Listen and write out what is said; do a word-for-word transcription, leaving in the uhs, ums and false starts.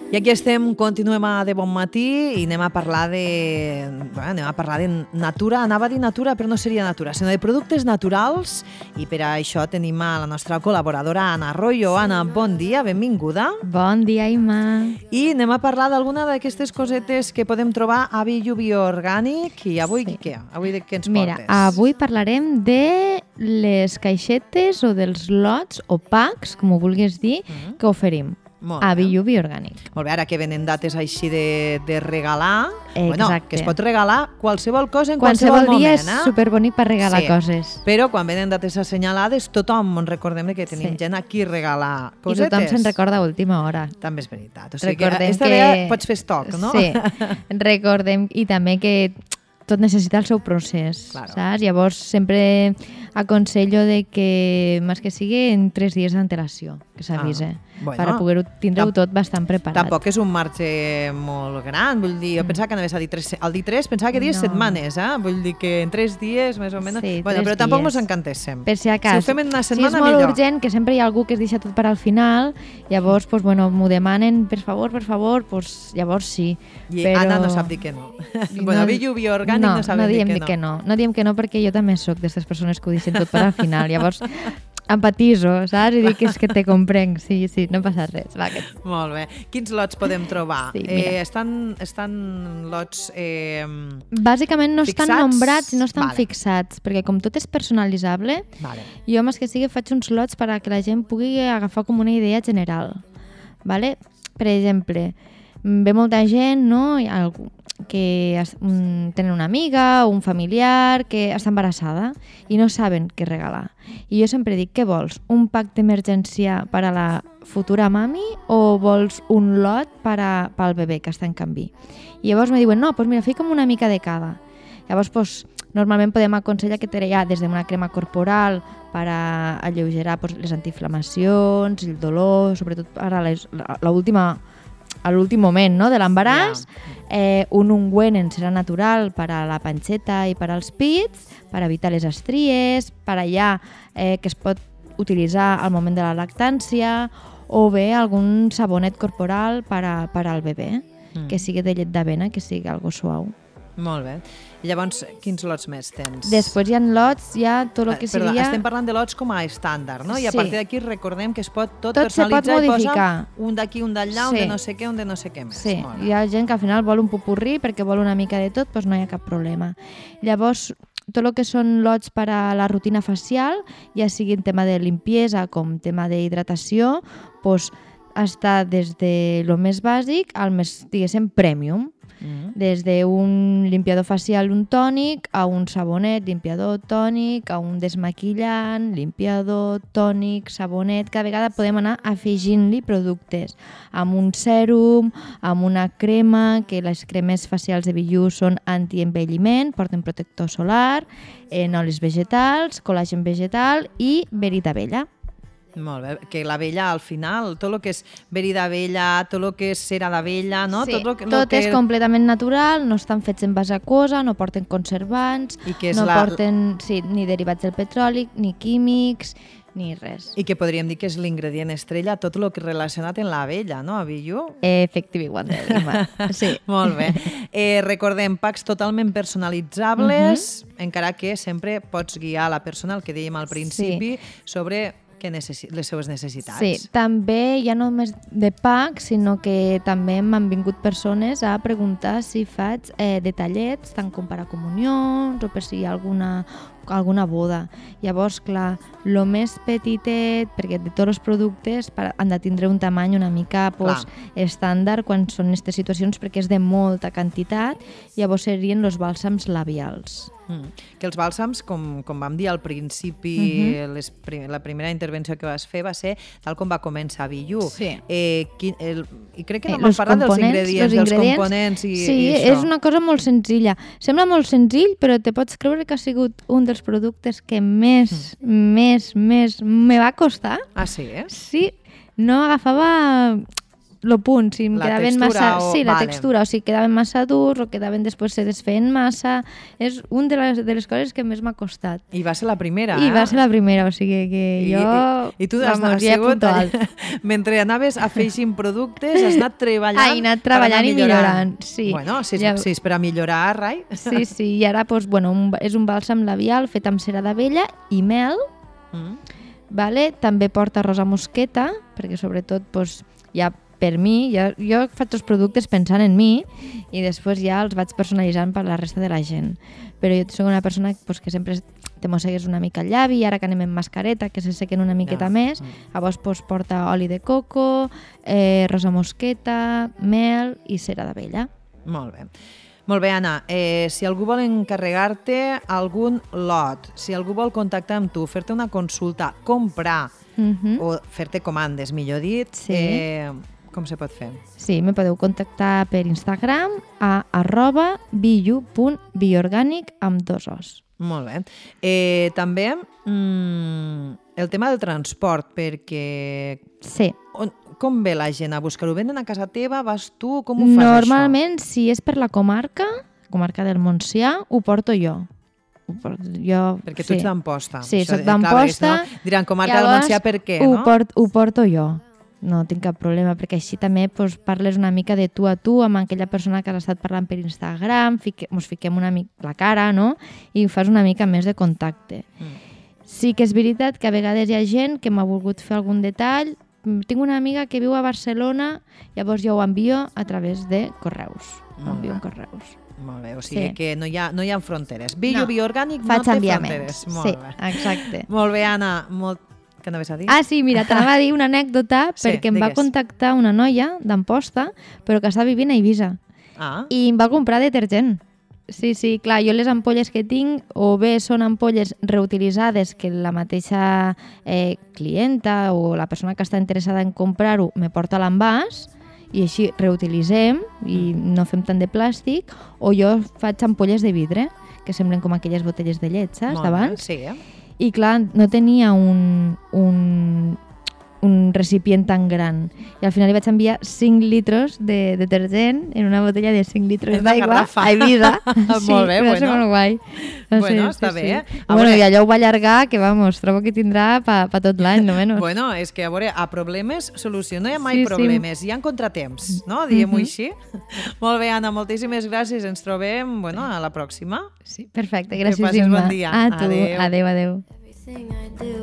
I aquí estem, continuem a De Bon Matí i anem a parlar de... Bueno, anem a parlar de natura, anava a dir natura, però no seria natura, sinó de productes naturals, i per a això tenim a la nostra col·laboradora Anna Arroyo. Anna, bon dia, benvinguda. Bon dia, Imma. I anem a parlar d'alguna d'aquestes cosetes que podem trobar a Billu Bioorgànic. I avui sí. què? Avui de què ens Mira, portes? Mira, avui parlarem de les caixetes o dels lots o packs, com ho vulguis dir, mm-hmm. que oferim. Molt a bé. Billu Bioorgànic. Molt bé, ara que venen dates així de, de regalar, Exacte. Bueno, que es pot regalar qualsevol cosa en qualsevol, qualsevol dia moment. És superbonic per regalar sí. coses. Però quan venen dates assenyalades, tothom ens recordem que tenim sí. gent a qui regalar cosetes. I tothom se'n recorda a última hora. També és veritat. O sigui recordem que aquesta que... vegada pots fer estoc, no? Sí, recordem i també que tot necessita el seu procés, claro. saps? Llavors sempre aconsello de que, més que sigui, en tres dies d'antelació, que s'avise, ah, bueno, per a poder tindre-ho tot bastant preparat. Tampoc és un marge molt gran, vull dir, jo mm. pensava que anaves a dir tres, al dir tres, pensava que dies no. setmanes, eh? Vull dir que en tres dies, més o menys, sí, bueno, però tampoc ens encantéssim. Per si acaso, si ho fem en una setmana, si és molt millor. urgent, que sempre hi ha algú que es deixa tot per al final, llavors, pues, bueno, m'ho demanen, per favor, per favor, pues, llavors sí. I però... Anna no sap dir que no. bueno, no, Billu Bioorgànic no, no sabem no dir que no. que no. No diem que no perquè jo també sóc d'aquestes persones que ho deixen tot per al final. Llavors, empatiso, saps? I dic que és que te comprenc. Sí, sí, no passa res. Va, que... Molt bé. Quins lots podem trobar? Sí, eh, estan, estan lots eh, bàsicament no fixats? Estan nombrats i no estan vale. fixats, perquè com tot és personalitzable, vale. jo més que sigui faig uns lots per a que la gent pugui agafar com una idea general. Vale? Per exemple, ve molta gent, no? Hi ha algú que es, um, tenen una amiga o un familiar que està embarassada i no saben què regalar. I jo sempre dic, què vols? Un pack d'emergència per a la futura mami o vols un lot per a, pel bebè que està en canvi? I llavors me diuen, no, doncs mira, fica'm una mica de cada. Llavors, doncs, normalment podem aconsellar que hi ha des d'una crema corporal per a alleugerar doncs, les antiinflamacions, el dolor, sobretot per a l'última a l'últim moment, no?, de l'embaràs, yeah. eh, un ungüent en cera natural per a la panxeta i per als pits, per evitar les estries, per allà eh, que es pot utilitzar al moment de la lactància, o bé algun sabonet corporal per, a, per al bebè, mm. que sigui de llet d'avena, que sigui algo suau. Molt bé. I llavors, quins lots més tens? Després hi ha lots, hi ha tot el que Perdó, seria... estem parlant de lots com a estàndard, no? I a sí. partir d'aquí recordem que es pot tot, tot personalitzar pot i posar un d'aquí, un d'allà, sí. un de no sé què, un de no sé què més. Sí, hi ha gent que al final vol un popurrí perquè vol una mica de tot, doncs no hi ha cap problema. Llavors, tot el que són lots per a la rutina facial, ja sigui en tema de limpiesa com tema d'hidratació, doncs està des de lo més bàsic al més, diguéssim, premium. Mm-hmm. Des d'un limpiador facial, un tònic, a un sabonet, limpiador tònic, a un desmaquillant, limpiador tònic, sabonet. Cada vegada podem anar afegint-li productes amb un sèrum, amb una crema, que les cremes facials de Billu són antienvelliment, porten protector solar, en olis vegetals, col·làgen vegetal i verí d'abella. Molt bé, que l'abella al final, tot el que és verí d'abella, tot el que és cera d'abella, no? Sí, tot, lo que, tot lo que... és completament natural, no estan fets en base aquosa, no porten conservants, no la... porten sí, ni derivats del petroli, ni químics, ni res. I que podríem dir que és l'ingredient estrella, tot el que relacionat amb l'abella, no, a Billu? Efectivament, sí. Molt bé. Eh, recordem, packs totalment personalitzables, uh-huh. encara que sempre pots guiar la persona, el que dèiem al principi, sí. sobre... que necessi- les seves necessitats. Sí, també ja no només de pack, sinó que també m'han vingut persones a preguntar si faig eh, detallets, tant com per a comunions o per si hi ha alguna, alguna boda. Llavors, clar, el més petitet, perquè de tots els productes han de tindre un tamany una mica pues, estàndard quan són aquestes situacions, perquè és de molta quantitat, llavors serien els bàlsams labials. Mm. Que els bàlsams, com, com vam dir al principi, uh-huh. les, la primera intervenció que vas fer va ser tal com va començar Billu. Sí. Eh, qui, el, I crec que no eh, m'han parlat dels ingredients, dels ingredients, components i, sí, i això. És una cosa molt senzilla. Sembla molt senzill, però te pots creure que ha sigut un dels productes que més, mm. més, més me va costar. Ah, sí? Eh? Sí, no agafava lo punt, si em La quedaven textura massa... o- Sí, la vale. textura, o si quedaven massa durs o quedaven després se desfeien massa. És una de les, de les coses que més m'ha costat. I va ser la primera, I eh? va ser la primera, o sigui que I, jo... I, i tu has, vamos, has ja sigut, apunto alt. mentre anaves afegint productes, has anat treballant Ah, he anat per anar treballant i millorant, sí. Bueno, si és, Ja- si és per a millorar, rai. Sí, sí, i ara doncs, bueno, un, és un bàlsam labial fet amb cera d'abella i mel, Mm. vale? També porta rosa mosqueta, perquè sobretot doncs, ja per mi, jo, jo faig els productes pensant en mi i després ja els vaig personalitzant per la resta de la gent. Però jo soc una persona doncs, que sempre te mossegues una mica el llavi, ara que anem amb mascareta, que se sequen una miqueta Ja. més, llavors doncs, porta oli de coco, eh, rosa mosqueta, mel i cera d'abella. Molt bé. Molt bé, Anna. Eh, si algú vol encarregar-te algun lot, si algú vol contactar amb tu, fer-te una consulta, comprar Mhm. o fer-te comandes, millor dit, Sí. eh, com se pot fer? Sí, me podeu contactar per Instagram a arroba biu punt bioorgànic amb dos os. Molt bé. Eh, també mm, el tema del transport, perquè Sí. on, com ve la gent a buscar-ho? Venen a casa teva? Vas tu? Com ho fas, Normalment, si és per la comarca, comarca del Montsià, ho porto jo. Ho porto jo, això? Perquè tu sí. ets d'Amposta. Sí, Això, soc eh, clar, perquè d'Amposta. si no diran comarca del Llavors, Montsià, per què? Ho, No? port, ho porto jo. No tinc cap problema, perquè així també doncs, parles una mica de tu a tu amb aquella persona que has estat parlant per Instagram, fique, mos fiquem una mica la cara, no? I fas una mica més de contacte. Mm. Sí que és veritat que a vegades hi ha gent que m'ha volgut fer algun detall. Tinc una amiga que viu a Barcelona, llavors jo ho envio a través de correus. Ho Molt envio bé. en correus. Molt bé, o sigui Sí. que no hi ha, no hi ha fronteres. Bio, No. bioorgànic, no Faig té enviaments. fronteres. Molt Sí, bé. exacte. Molt bé, Anna. Molt... Què anaves a dir? Ah, sí, mira, t'anava a dir una anècdota Sí, perquè em va digues. contactar una noia d'Amposta, però que està vivint a Eivissa. Ah, I em va comprar detergent. Sí, sí, clar, jo les ampolles que tinc o bé són ampolles reutilitzades que la mateixa eh, clienta o la persona que està interessada en comprar-ho me porta a l'envàs i així reutilitzem i no fem tant de plàstic, o jo faig ampolles de vidre que semblen com aquelles botelles de llet, saps, molt bé. d'abans? Sí, eh? I clar, no tenia un, un, un recipient tan gran. I al final li vaig enviar cinc litros de detergent en una botella de cinc litros En una d'aigua garrafa. a Eivissa. Sí, Molt bé, va ser bueno. molt guai. Va Bueno, ser, està bé, eh? A Bueno, veure- i allò ho va allargar, que vamos, trobo que tindrà pa, pa tot l'any, no menys. Bueno, és que, a veure, a problemes, solució. No hi ha mai Sí, sí. problemes, hi ha contratemps, no? Diguem-ho Mhm. així. Molt bé, Anna, moltíssimes gràcies. Ens trobem, bueno, a la pròxima. Sí, perfecte, Que gràcies, passis Imma. bon dia. A tu, Adéu. adéu, adéu. Everything I do